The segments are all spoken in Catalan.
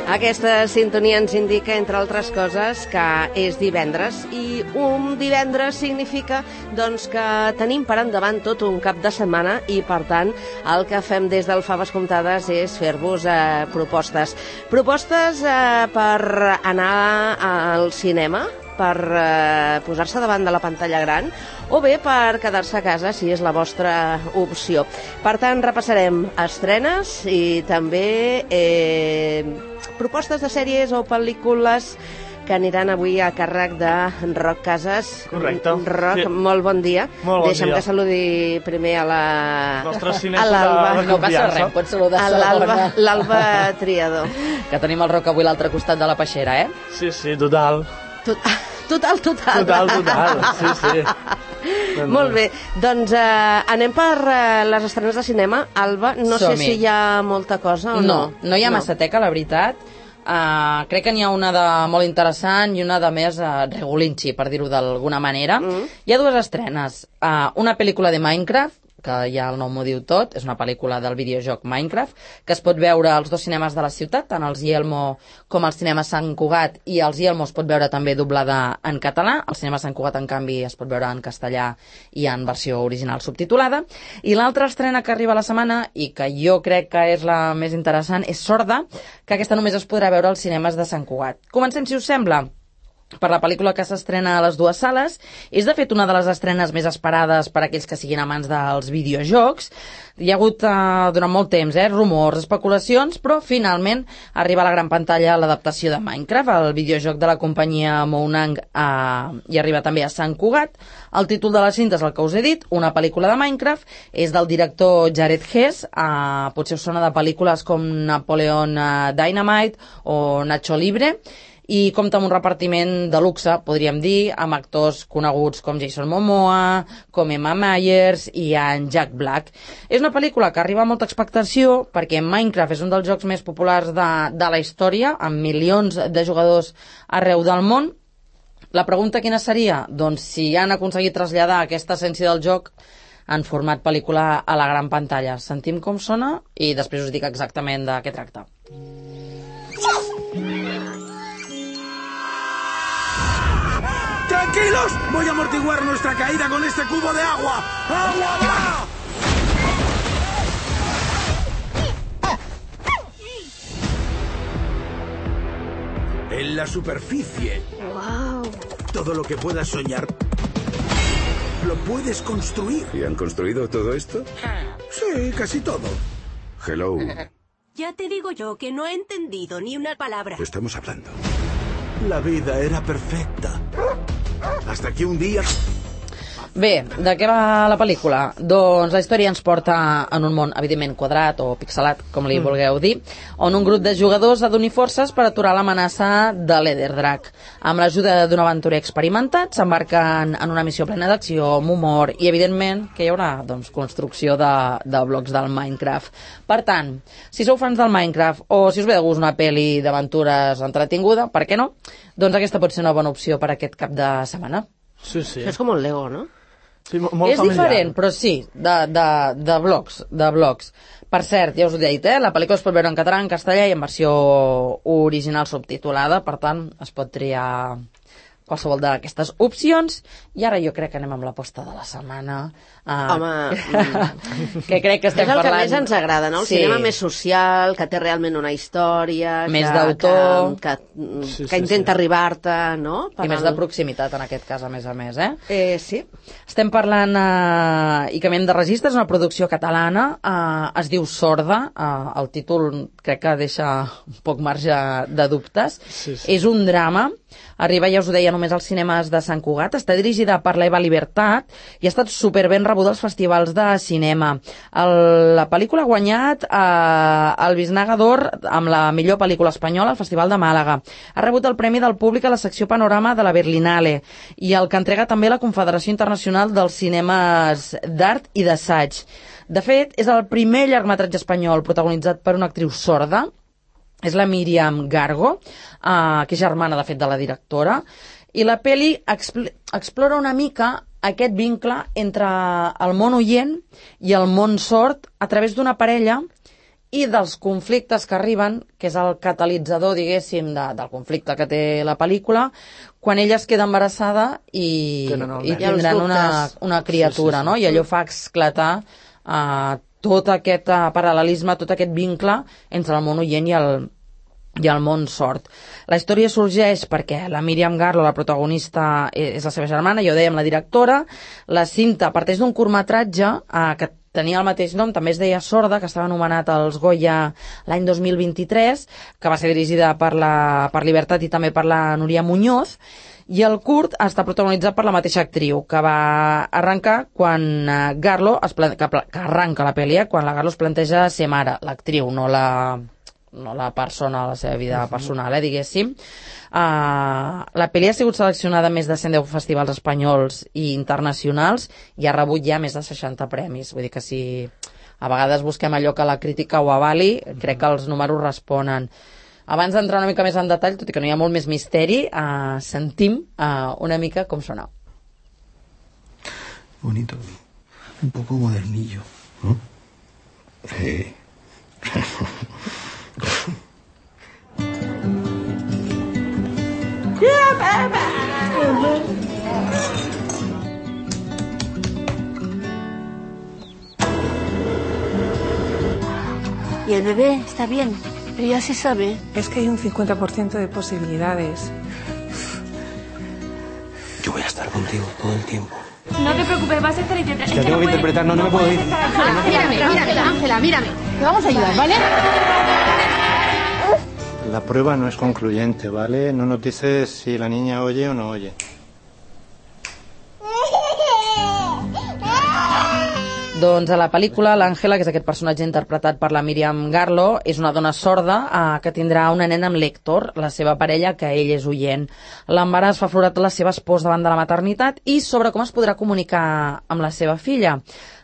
Aquesta sintonia ens indica, entre altres coses, que és divendres, i un divendres significa doncs, que tenim per endavant tot un cap de setmana i, per tant, el que fem des del Faves Comptades és fer-vos propostes. Propostes per anar al cinema, per posar-se davant de la pantalla gran, o bé per quedar-se a casa, si és la vostra opció. Per tant, repassarem estrenes i també propostes de sèries o pel·lícules que aniran avui a càrrec de Roc Casas. Correcte. Roc, sí. Molt bon dia. Molt bon Deixa'm dia. que saludi primer a l'Alba. No passa res, pots saludar l'Alba Triador. Que tenim el Roc avui a l'altre costat de la peixera, eh? Sí, total. Total. Sí. Molt bé, doncs anem per les estrenes de cinema. Alba, no sé si hi ha molta cosa o no. No hi ha massa teca, la veritat. Crec que n'hi ha una de molt interessant i una de més regulinxi, per dir-ho d'alguna manera. Hi ha dues estrenes. Una pel·lícula de Minecraft, que ja el nom ho diu tot, és una pel·lícula del videojoc Minecraft, que es pot veure als dos cinemes de la ciutat, tant als Yelmo com als cinemes Sant Cugat, i als Yelmo es pot veure també doblada en català, al cinema Sant Cugat, en canvi, es pot veure en castellà i en versió original subtitulada. I l'altra estrena que arriba a la setmana, i que jo crec que és la més interessant, és Sorda, que aquesta només es podrà veure als cinemes de Sant Cugat. Comencem, si us sembla, per la pel·lícula que s'estrena a les dues sales. És, de fet, una de les estrenes més esperades per a aquells que siguin amants dels videojocs. Hi ha hagut, durant molt temps, rumors, especulacions, però finalment arriba a la gran pantalla l'adaptació de Minecraft, el videojoc de la companyia Mounang, i arriba també a Sant Cugat. El títol de la cinta és el que us he dit, una pel·lícula de Minecraft, és del director Jared Hess, potser us sona de pel·lícules com Napoleon Dynamite o Nacho Libre, i compta amb un repartiment de luxe, podríem dir, amb actors coneguts com Jason Momoa, com Emma Myers i en Jack Black. És una pel·lícula que arriba a molta expectació perquè Minecraft és un dels jocs més populars de la història, amb milions de jugadors arreu del món. La pregunta quina seria? Doncs si han aconseguit traslladar aquesta essència del joc en format pel·lícula a la gran pantalla. Sentim com sona i després us dic exactament de què tracta. ¡Tranquilos! Voy a amortiguar nuestra caída con este cubo de agua. ¡Agua va! En la superficie. Wow. Todo lo que puedas soñar lo puedes construir. ¿Y han construido todo esto? Sí, casi todo. Hello. Ya te digo yo que no he entendido ni una palabra. Estamos hablando. La vida era perfecta. Hasta que un día... Bé, de què va la pel·lícula? Doncs la història ens porta en un món, evidentment, quadrat o pixelat, com li vulgueu dir, on un grup de jugadors ha d'unir forces per aturar l'amenaça de l'Ederdrac. Amb l'ajuda d'un aventurer experimentat, s'embarquen en una missió plena d'acció, amb humor, i, evidentment, que hi haurà doncs, construcció de blocs del Minecraft. Per tant, si sou fans del Minecraft o si us ve de gust una pel·li d'aventures entretinguda, per què no? Doncs aquesta pot ser una bona opció per aquest cap de setmana. Sí. Això és com un Lego, no? Sí, molt és familiar. diferent, però sí, de blocs. Per cert, ja us ho he dit, la pel·lícula es pot veure en català, en castellà i en versió original subtitulada, per tant, es pot triar qualsevol d'aquestes opcions. I ara jo crec que anem amb l'aposta de la setmana. Home, que crec que estem és el parlant... que més ens agrada, no? El cinema més social, que té realment una història... Més d'autor... Que intenta arribar-te, no? I més de proximitat, en aquest cas, a més, Sí. Estem parlant, i canviem de registre, és una producció catalana, es diu Sorda, el títol crec que deixa un poc marge de dubtes. Sí. És un drama, arriba, ja us ho deia, només als cinemes de Sant Cugat, està dirigida per l'Eva Libertat i ha estat superben rebuda als festivals de cinema. La pel·lícula ha guanyat el Biznaga d'Or amb la millor pel·lícula espanyola al Festival de Màlaga. Ha rebut el Premi del Públic a la secció Panorama de la Berlinale i el que entrega també la Confederació Internacional dels Cinemes d'Art i d'Assaig. De fet, és el primer llargmetratge espanyol protagonitzat per una actriu sorda. És la Míriam Gargo, que és germana, de fet, de la directora. I la pel·li explora una mica aquest vincle entre el món oient i el món sord a través d'una parella i dels conflictes que arriben, que és el catalitzador, diguéssim, del conflicte que té la pel·lícula, quan ella es queda embarassada i tindran una criatura, no? I allò fa esclatar tot aquest paral·lelisme, tot aquest vincle entre el món oient i el món sord. La història sorgeix perquè la Míriam Garlo, la protagonista, és la seva germana, ja ho dèiem, la directora. La cinta parteix d'un curtmetratge que tenia el mateix nom, també es deia Sorda, que estava anomenat als Goya l'any 2023, que va ser dirigida per Libertat i també per la Núria Muñoz, i el curt està protagonitzat per la mateixa actriu, que va arrencar quan Garlo, que arranca la pel·li, quan la Garlo es planteja ser mare, l'actriu, no la persona a la seva vida personal, diguéssim. La pel·li ha sigut seleccionada a més de 110 festivals espanyols i internacionals i ha rebut ja més de 60 premis. Vull dir que si a vegades busquem allò que la crítica ho avali, crec que els números responen. Abans d'entrar una mica més en detall, tot i que no hi ha molt més misteri, sentim una mica com sona. Bonito, un poco modernillo. Sí. Y el bebé está bien. Ella sí sabe. Es que hay un 50% de posibilidades. Yo voy a estar contigo todo el tiempo. No te preocupes, vas a estar interpretando. Es que tengo que interpretar, no me puedo ir. Ángela, mírame. Te vamos a ayudar, ¿vale? La prueba no es concluyente, ¿vale? No nos dices si la niña oye o no oye. Doncs a la pel·lícula, l'Àngela, que és aquest personatge interpretat per la Míriam Garlo, és una dona sorda que tindrà una nena amb l'Héctor, la seva parella, que ell és oient. L'embaràs fa aflorar les seves pors davant de la maternitat i sobre com es podrà comunicar amb la seva filla.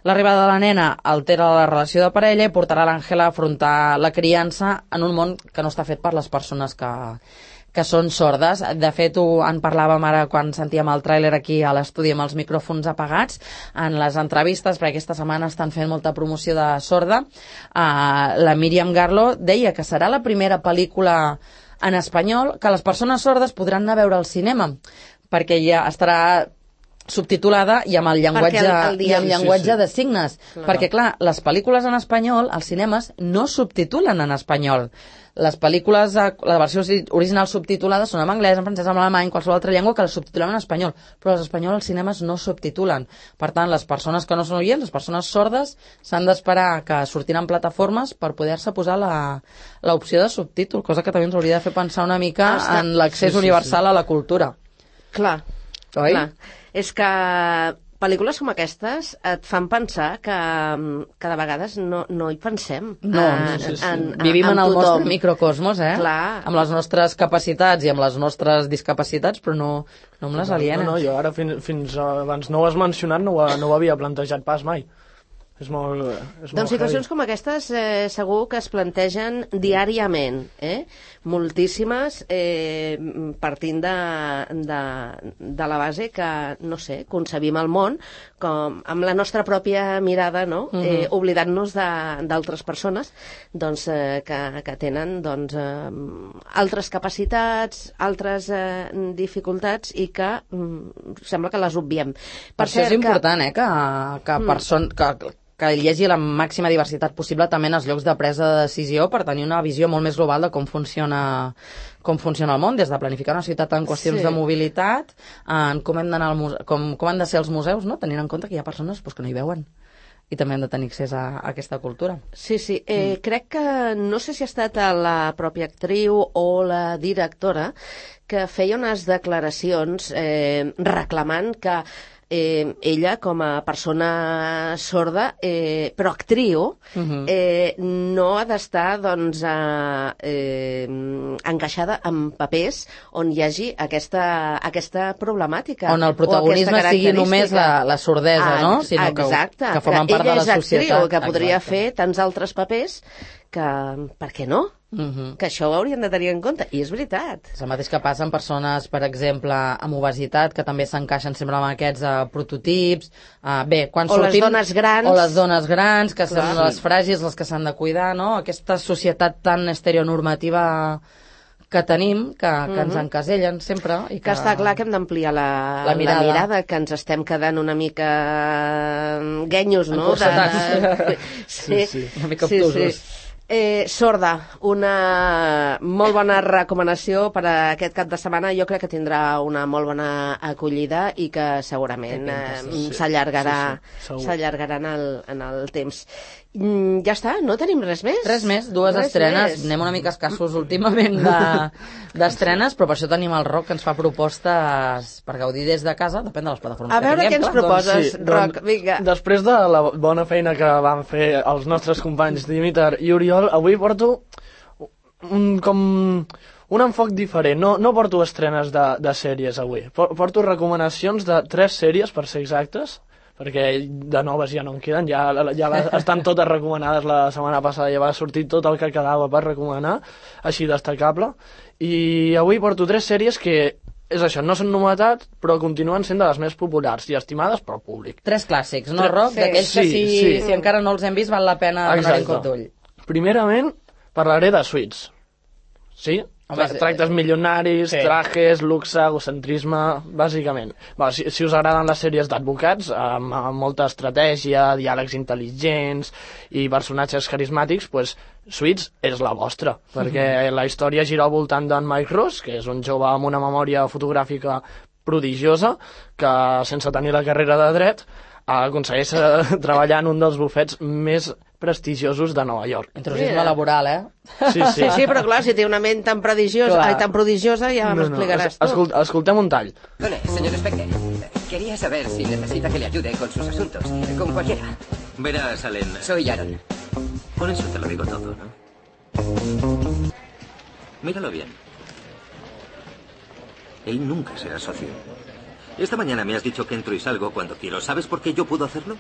L'arribada de la nena altera la relació de parella i portarà l'Àngela a afrontar la criança en un món que no està fet per les persones que són sordes. De fet, en parlàvem ara quan sentíem el tràiler aquí a l'estudi amb els micròfons apagats, en les entrevistes, perquè aquesta setmana estan fent molta promoció de sorda. La Míriam Garlo deia que serà la primera pel·lícula en espanyol que les persones sordes podran anar a veure al cinema, perquè ja estarà subtitulada i amb el llenguatge de signes. Perquè, clar, les pel·lícules en espanyol, als cinemes, no subtitulen en espanyol. Les pel·lícules, la versió original subtitulada són en anglès, en francès, en alemany, qualsevol altra llengua que les subtitulen en espanyol, però els espanyols als cinemes no subtitulen. Per tant, les persones que no són oients, les persones sordes, s'han d'esperar que sortin en plataformes per poder-se posar l'opció de subtítol, cosa que també ens hauria de fer pensar una mica en l'accés universal a la cultura. Clar. Oi? Clar. És que pel·lícules com aquestes et fan pensar que de vegades no hi pensem. Vivim en el nostre microcosmos, Clar. Amb les nostres capacitats i amb les nostres discapacitats, però no amb les alienes. No, jo ara fins abans no ho has mencionat, no ho havia plantejat pas mai. És molt doncs situacions com aquestes segur que es plantegen diàriament, moltíssimes, partint de la base que, no sé, concebim el món com amb la nostra pròpia mirada, no? Oblidant-nos d'altres persones doncs, que tenen doncs, altres capacitats, altres dificultats i que sembla que les obviem. Per això és important que hi hagi la màxima diversitat possible també en els llocs de presa de decisió per tenir una visió molt més global de com funciona el món, des de planificar una ciutat en qüestions de mobilitat, en com han de ser els museus, no? Tenint en compte que hi ha persones que no hi veuen i també hem de tenir accés a aquesta cultura. Sí. Crec que no sé si ha estat la pròpia actriu o la directora que feia unes declaracions reclamant que ella, com a persona sorda, però actriu, no ha d'estar doncs, encaixada en papers on hi hagi aquesta problemàtica. On el protagonisme sigui només la sordesa, no? Sinó exacte, que formen part de la societat. Ella és actriu, que podria fer tants altres papers que per què no? Que això ho haurien de tenir en compte, i és veritat. És el mateix que passa amb persones, per exemple, amb obesitat, que també s'encaixen sempre amb aquests prototips. Quan o sortim... les dones grans. O les dones grans, que són les fràgils, les que s'han de cuidar, no? Aquesta societat tan estereonormativa que tenim, que ens encasellen sempre. I que està clar que hem d'ampliar la mirada, que ens estem quedant una mica guenyos, no? Sí, una mica obtusos. Sorda, una molt bona recomanació per a aquest cap de setmana. Jo crec que tindrà una molt bona acollida i que segurament s'allargarà en el temps. Ja està, no tenim res més? Res més, dues estrenes. Anem una mica escassos últimament d'estrenes, però per això tenim el Roc, que ens fa propostes per gaudir des de casa, depèn de les plataformes que tinguem. A veure què ens proposes, Roc, vinga. Després de la bona feina que van fer els nostres companys Dimitar i Oriol, avui porto un enfoc diferent. No porto estrenes de sèries avui. Porto recomanacions de 3 sèries, per ser exactes, perquè de noves ja no en queden, ja estan totes recomanades. La setmana passada ja va sortir tot el que quedava per recomanar, així destacable, i avui porto 3 sèries que, és això, no són novetats, però continuen sent de les més populars i estimades pel públic. 3 clàssics, no, Roc? D'aquells que si encara no els hem vist val la pena donar-hi un cop d'ull. Primerament, parlaré de Suits. Sí? Tractes milionaris, trajes, luxe, egocentrisme, bàsicament. Si us agraden les sèries d'advocats, amb molta estratègia, diàlegs intel·ligents i personatges carismàtics, doncs Suits és la vostra, perquè la història gira al voltant d'en Mike Ross, que és un jove amb una memòria fotogràfica prodigiosa, que sense tenir la carrera de dret aconsegueix treballar en un dels bufets més prestigiosos de Nova York. Intrusisme laboral, Sí, però clar, si té una ment tan prodigiosa ja m'explicaràs tu. Escoltem un tall. Hola, señor Specter. Quería saber si necesita que le ayude con sus asuntos. Con cualquiera. Verás, Allen. Soy Aaron. Con eso te lo digo todo, ¿no? Míralo bien. Él nunca será socio. Esta mañana me has dicho que entro y salgo cuando quiero. ¿Sabes por qué yo puedo hacerlo?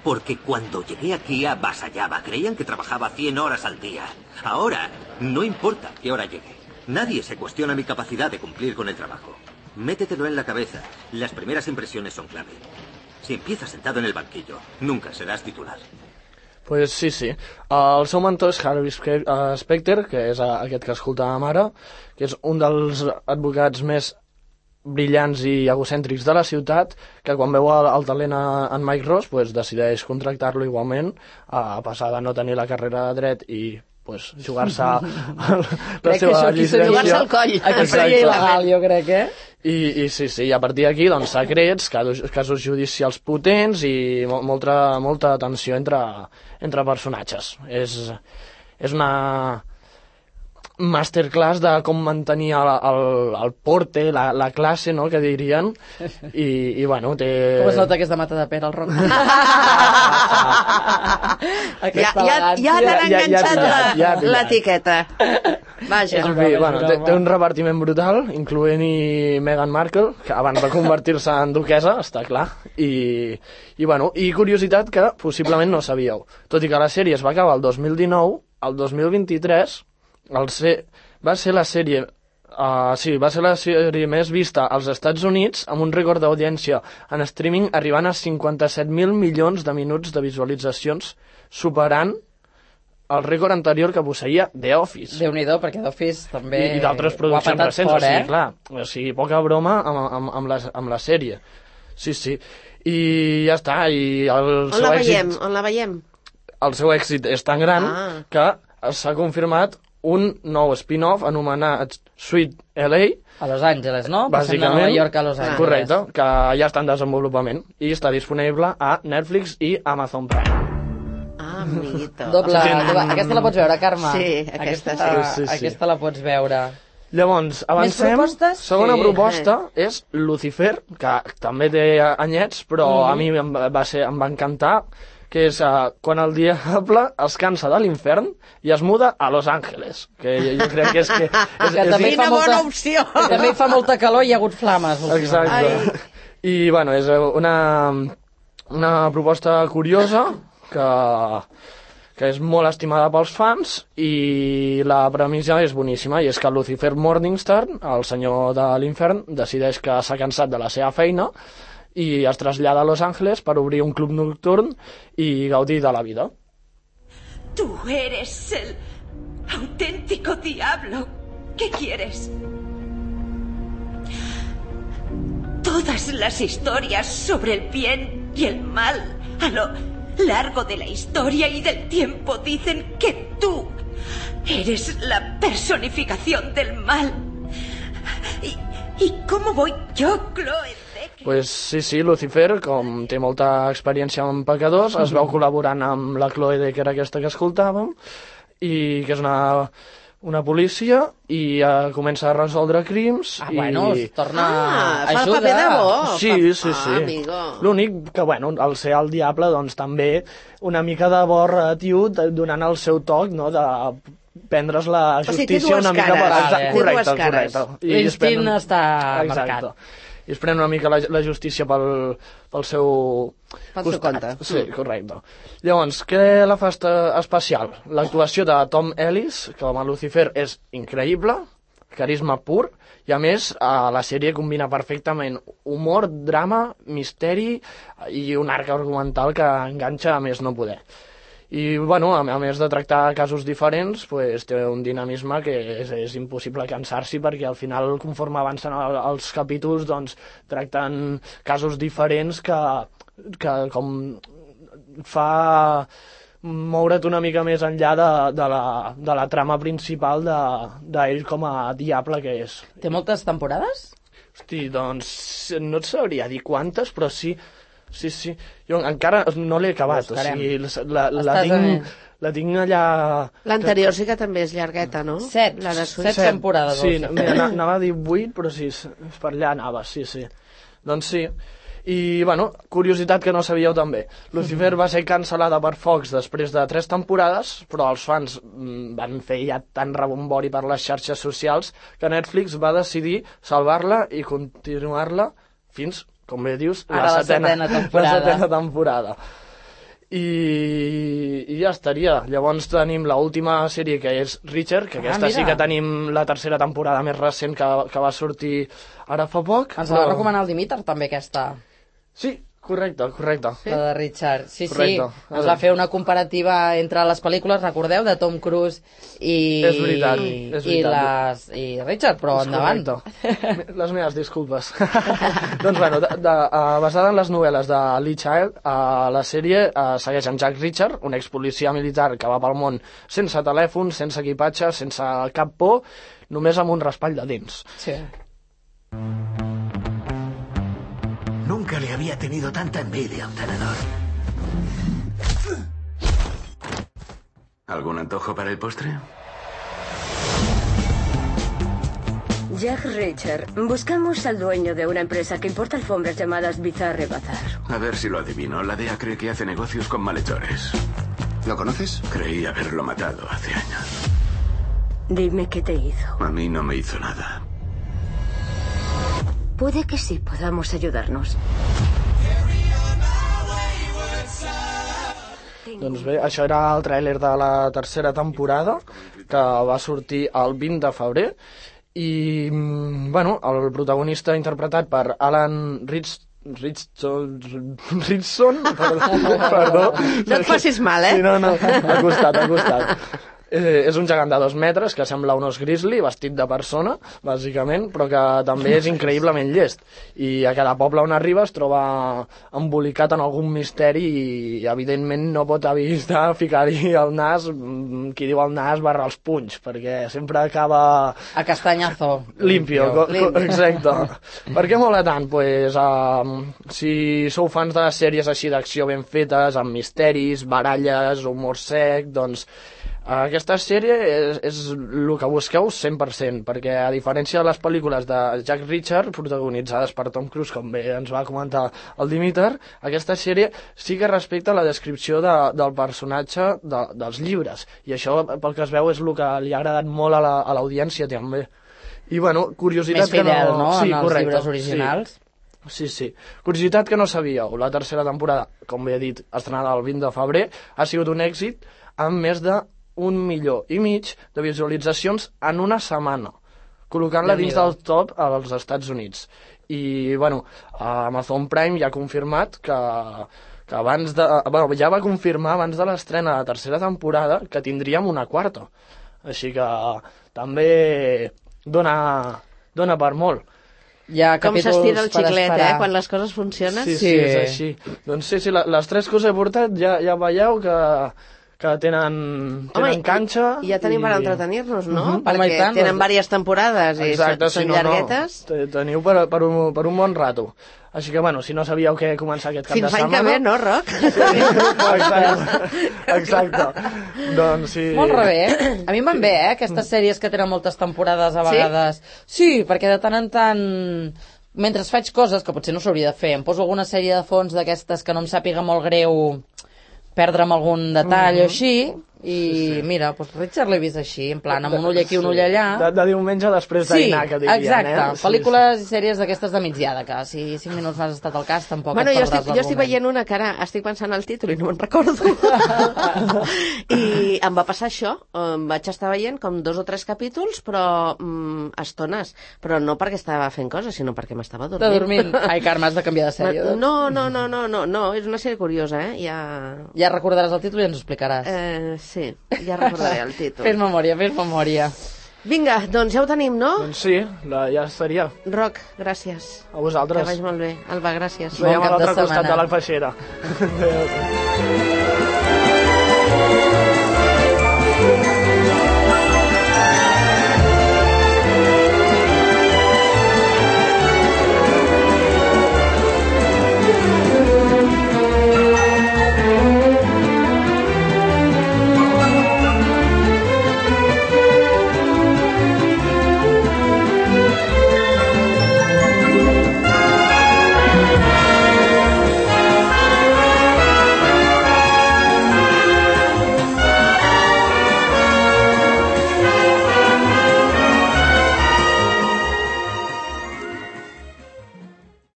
Porque cuando llegué aquí avasallaba. Creían que trabajaba 100 horas al día. Ahora, no importa qué hora llegue. Nadie se cuestiona mi capacidad de cumplir con el trabajo. Métetelo en la cabeza. Las primeras impresiones son clave. Si empiezas sentado en el banquillo, nunca serás titular. Pues sí. El seu mentor és Harvey Specter, que és aquest que escoltàvem ara, que és un dels advocats més brillants i egocèntrics de la ciutat, que quan veu el talent en Mike Ross pues, decideix contractar-lo igualment, a passar de no tenir la carrera de dret i pues, jugar-se la seva llicència. Jugar-se al coll. Exacte. Jo crec, I sí, a partir d'aquí, doncs, secrets, casos judicials potents i molta tensió entre personatges. És una masterclass de com mantenir el porte, la classe, no?, que dirien, i bueno, té... Com es nota que és de Mata de Pere, el Roc? Ja t'han enganxat l'etiqueta. Vaja. En fi, bueno, té un repartiment brutal, incloent-hi Meghan Markle, que abans de convertir-se en duquesa, està clar, i curiositat que possiblement no sabíeu. Tot i que la sèrie es va acabar el 2019, el 2023 va ser la sèrie més vista als Estats Units, amb un rècord d'audiència en streaming arribant a 57.000 milions de minuts de visualitzacions, superant el rècord anterior que posseïa The Office. Déu-n'hi-do, perquè The Office també... I d'altres produccions recents, fort, o sigui, poca broma amb la sèrie. Sí. I ja està, i el seu èxit... On la veiem? El seu èxit és tan gran que s'ha confirmat un nou spin-off anomenat Sweet LA. A Los Angeles, no? Bàsicament. Passem de Nova York a Los Angeles. Correcte, que ja està en desenvolupament i està disponible a Netflix i Amazon Prime. Amiguito. Doble. Aquesta la pots veure, Carme? Sí, aquesta sí. Aquesta la pots veure. Llavors, avancem. Segona proposta és Lucifer, que també té anyets, però a mi em va encantar, que és quan el diable es cansa de l'infern i es muda a Los Angeles, que jo crec que és que... Quina bona opció! També hi fa molta calor i hi ha hagut flames. Exacte. I, bueno, és una proposta curiosa que és molt estimada pels fans, i la premissa és boníssima, i és que Lucifer Morningstar, el senyor de l'infern, decideix que s'ha cansat de la seva feina i es trasllada a Los Angeles per obrir un club nocturn i gaudir de la vida. Tú eres el auténtico diablo. ¿Qué quieres? Todas las historias sobre el bien y el mal a lo largo de la historia y del tiempo dicen que tú eres la personificación del mal. ¿Y cómo voy yo, Chloe? Pues sí, Lucifer, com té molta experiència amb pecadors, es veu col·laborant amb la Chloe Decker, aquesta que escoltàvem, i que és una policia, i comença a resoldre crims. Bueno, es torna fa el paper de bo. Sí. L'únic que, al ser el diable, doncs també una mica de bo relatiu, donant el seu toc, no?, de prendre's la justícia una mica... Correcte. L'instint està marcat. I es pren una mica la justícia pel seu compte. Sí, correcte. Llavors, què la fa especial? L'actuació de Tom Ellis, com a Lucifer, és increïble, carisma pur, i a més la sèrie combina perfectament humor, drama, misteri i un arc argumental que enganxa a més no poder. I, a més de tractar casos diferents, té un dinamisme que és impossible cansar-s'hi, perquè al final, conforme avancen els capítols, doncs, tracten casos diferents que com fa moure't una mica més enllà de la trama principal d'ell com a diable que és. Té moltes temporades? Hosti, doncs no et sabria dir quantes, però sí. Sí. Jo encara no l'he acabat. O sigui, la tinc allà... L'anterior sí que també és llargueta, no? 7 temporades. Sí, anava a dir 8, però sí, per allà anava, sí. Doncs sí. I, curiositat que no sabíeu també. Lucifer va ser cancel·lada per Fox després de 3 temporades, però els fans van fer ja tant rebombori per les xarxes socials que Netflix va decidir salvar-la i continuar-la fins, com bé dius, la setena temporada. I ja estaria. Llavors tenim l'última sèrie, que és Reacher, que aquesta sí que tenim la tercera temporada més recent que va sortir ara fa poc. Ens la va recomanar el Dimitar, també, aquesta. Sí, correcte. La de Richard. Sí. Ens va fer una comparativa entre les pel·lícules, recordeu, de Tom Cruise i Richard, però endavant. Les meves disculpes. Doncs basada en les novel·les de Lee Child, la sèrie segueix en Jack Reacher, un expolicia militar que va pel món sense telèfon, sense equipatge, sense cap por, només amb un raspall de dents. Sí. Nunca le había tenido tanta envidia a un tenedor. ¿Algún antojo para el postre? Jack Reacher, buscamos al dueño de una empresa que importa alfombras llamadas Bizarre Bazar. A ver si lo adivino. La DEA cree que hace negocios con malhechores. ¿Lo conoces? Creí haberlo matado hace años. Dime qué te hizo. A mí no me hizo nada. Puede que sí podamos ayudarnos. Doncs bé, això era el tràiler de la tercera temporada, que va sortir el 20 de febrer, i, el protagonista interpretat per Alan Ritchson, perdó. No et facis mal, eh? Sí, no, ha costat. És un gegant de 2 metres que sembla un os grizzly, vestit de persona, bàsicament, però que també és increïblement llest. I a cada poble on arriba es troba embolicat en algun misteri i, evidentment, no pot evitar ficar-hi el nas, qui diu el nas barra els punys, perquè sempre acaba... A castanyazo. Limpio. Exacte. Per què mola tant? Pues, si sou fans de les sèries així d'acció ben fetes, amb misteris, baralles, humor sec, doncs... Aquesta sèrie és el que busqueu 100%, perquè a diferència de les pel·lícules de Jack Reacher, protagonitzades per Tom Cruise, com bé ens va comentar el Dimitar, aquesta sèrie sí que respecta la descripció del personatge dels llibres, i això, pel que es veu, és el que li ha agradat molt a l'audiència també. I, curiositat més fidel, que no... Sí, en els llibres originals. Sí. Curiositat que no sabíeu, la tercera temporada, com bé he dit, estrenada el 20 de febrer, ha sigut un èxit amb més de 1,5 milió de visualitzacions en una setmana, col·locant-la dins del top als Estats Units. I, bueno, Amazon Prime ja ha confirmat que abans de... Bueno, ja va confirmar abans de l'estrena de la tercera temporada que tindríem una quarta. Així que també dona per molt. Com s'estira el xiclet, quan les coses funcionen? Sí, és així. Doncs sí, les 3 que us he portat ja veieu que tenen canxa. I ja tenim per entretenir-nos, no? Perquè tenen diverses temporades i són llarguetes. Teniu per un bon rato. Així que, bueno, si no sabíeu què començar aquest cap de setmana... Fins l'any que ve, no, Roc? Exacte. Doncs sí... Molt bé. A mi em van bé, aquestes sèries que tenen moltes temporades a vegades. Sí, perquè de tant en tant... Mentre faig coses que potser no s'hauria de fer, em poso alguna sèrie de fons d'aquestes que no em sàpiga molt greu perdre'm algun detall o així, i mira, doncs Richard l'he vist així, en plan, amb un ull aquí, un ull allà. De diumenge després dinar, que dirien, exacte. Pel·lícules i sèries d'aquestes de migdiada, que si 5 minuts m'has estat al cas, tampoc et perdràs l'argument. Jo estic veient una que ara estic pensant al títol i no me'n recordo. I em va passar això, vaig estar veient com 2 o 3 capítols, però estones, però no perquè estava fent coses, sinó perquè m'estava dormint. Ai, Carme, has de canviar de sèrie. No, és una sèrie curiosa, Ja recordaràs el títol i ens ho explicaràs. Sí, ja recordaré el títol. Fes memòria. Vinga, doncs ja ho tenim, no? Doncs sí, ja estaria. Roc, gràcies. A vosaltres. Que vagi molt bé. Alba, gràcies. Ens veiem a l'altre costat de la peixera. Adéu.